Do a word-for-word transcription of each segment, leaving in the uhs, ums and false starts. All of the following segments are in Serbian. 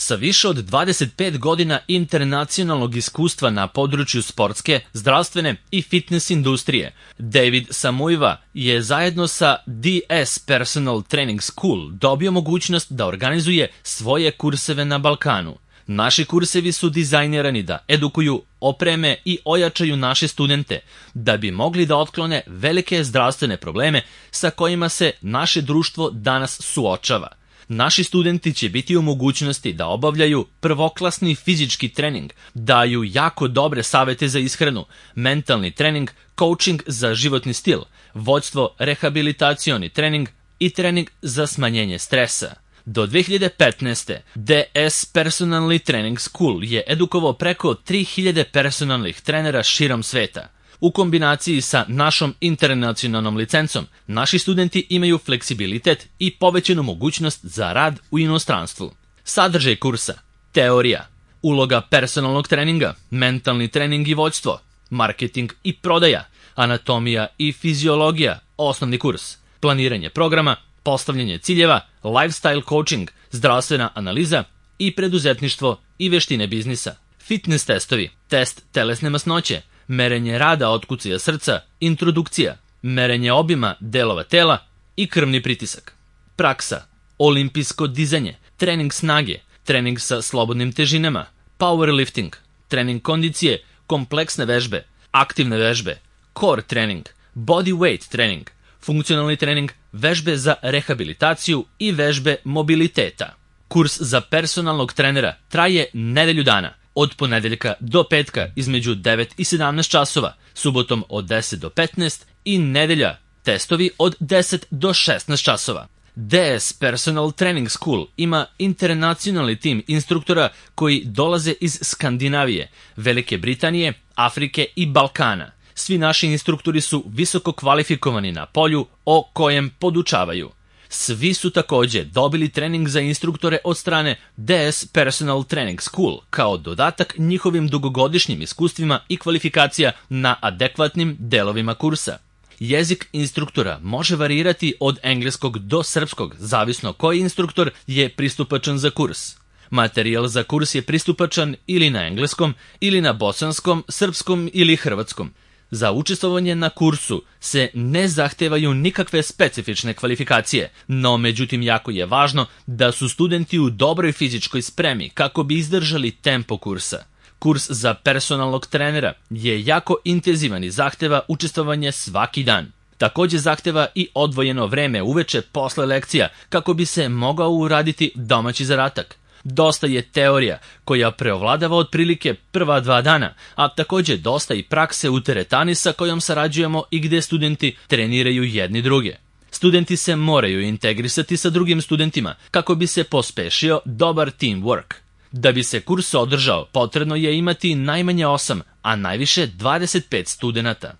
Sa više od dvadeset pet godina internacionalnog iskustva na području sportske, zdravstvene i fitness industrije, David Samuiva je zajedno sa D S Personal Training School dobio mogućnost da organizuje svoje kurseve na Balkanu. Naši kursevi su dizajnirani da edukuju, opreme i ojačaju naše studente, da bi mogli da otklone velike zdravstvene probleme sa kojima se naše društvo danas suočava. Naši studenti će biti u mogućnosti da obavljaju prvoklasni fizički trening, daju jako dobre savete za ishranu, mentalni trening, coaching za životni stil, vođstvo, rehabilitacioni trening i trening za smanjenje stresa. Do dve hiljade petnaeste. D S Personalni Training School je edukovao preko tri hiljade personalnih trenera širom sveta. U kombinaciji sa našom internacionalnom licencom, naši studenti imaju fleksibilitet i povećanu mogućnost za rad u inostranstvu. Sadržaj kursa: teorija, uloga personalnog treninga, mentalni trening i vođstvo, marketing i prodaja, anatomija i fiziologija, osnovni kurs, planiranje programa, postavljanje ciljeva, lifestyle coaching, zdravstvena analiza i preduzetništvo i veštine biznisa. Fitness testovi, test telesne masnoće, merenje rada otkucaja srca, introdukcija, merenje obima delova tela i krvni pritisak. Praksa, olimpijsko dizanje, trening snage, trening sa slobodnim težinama, powerlifting, trening kondicije, kompleksne vežbe, aktivne vežbe, core trening, body weight trening, funkcionalni trening, vežbe za rehabilitaciju i vežbe mobiliteta. Kurs za personalnog trenera traje nedelju dana, od ponedeljka do petka između devet i sedamnaest časova, subotom od deset do petnaest i nedelja testovi od deset do šesnaest časova. D S Personal Training School ima internacionalni tim instruktora koji dolaze iz Skandinavije, Velike Britanije, Afrike i Balkana. Svi naši instruktori su visoko kvalifikovani na polju o kojem podučavaju. Svi su takođe dobili trening za instruktore od strane D S Personal Training School kao dodatak njihovim dugogodišnjim iskustvima i kvalifikacija na adekvatnim delovima kursa. Jezik instruktora može varirati od engleskog do srpskog, zavisno koji instruktor je pristupačan za kurs. Materijal za kurs je pristupačan ili na engleskom, ili na bosanskom, srpskom ili hrvatskom. Za učestvovanje na kursu se ne zahtevaju nikakve specifične kvalifikacije, no međutim jako je važno da su studenti u dobroj fizičkoj spremi kako bi izdržali tempo kursa. Kurs za personalnog trenera je jako intenzivan i zahteva učestvovanje svaki dan. Takođe zahteva i odvojeno vreme uveče posle lekcija kako bi se mogao uraditi domaći zadatak. Dosta je teorija koja preovladava otprilike prva dva dana, a takođe dosta i prakse u teretani sa kojom sarađujemo i gde studenti treniraju jedni druge. Studenti se moraju integrisati sa drugim studentima kako bi se pospešio dobar teamwork. Da bi se kurs održao, potrebno je imati najmanje osam, a najviše dvadeset pet studenata.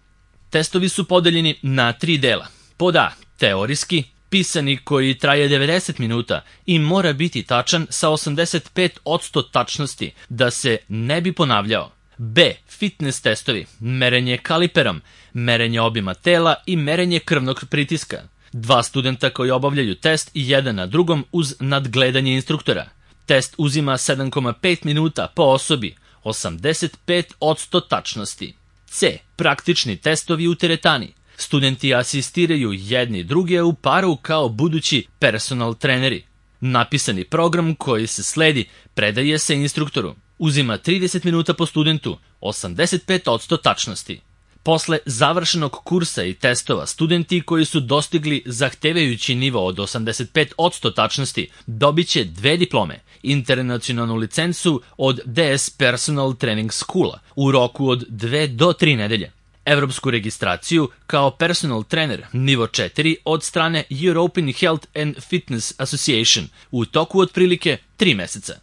Testovi su podeljeni na tri dela. Pod A, teorijski, pisani koji traje devedeset minuta i mora biti tačan sa osamdeset pet posto tačnosti da se ne bi ponavljao. B, fitness testovi, merenje kaliperom, merenje obima tela i merenje krvnog pritiska. Dva studenta koji obavljaju test i jedan na drugom uz nadgledanje instruktora. Test uzima sedam zarez pet minuta po osobi, osamdeset pet posto tačnosti. C, praktični testovi u teretani. Studenti asistiraju jedni druge u paru kao budući personal treneri. Napisani program koji se sledi predaje se instruktoru. Uzima trideset minuta po studentu, osamdeset pet posto tačnosti. Posle završenog kursa i testova, studenti koji su dostigli zahtevajući nivo od osamdeset pet posto tačnosti dobit će dve diplome, internacionalnu licencu od D S Personal Training Schoola u roku od dve do tri nedelje, evropsku registraciju kao personal trener nivo četiri od strane European Health and Fitness Association u toku otprilike tri meseca.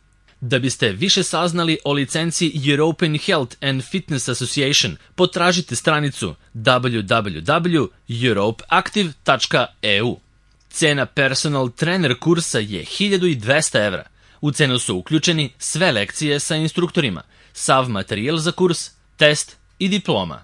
Da biste više saznali o licenci European Health and Fitness Association, potražite stranicu w w w tačka europe active tačka e u. Cena personal trener kursa je hiljadu dvesta evra. U cenu su uključeni sve lekcije sa instruktorima, sav materijal za kurs, test i diploma.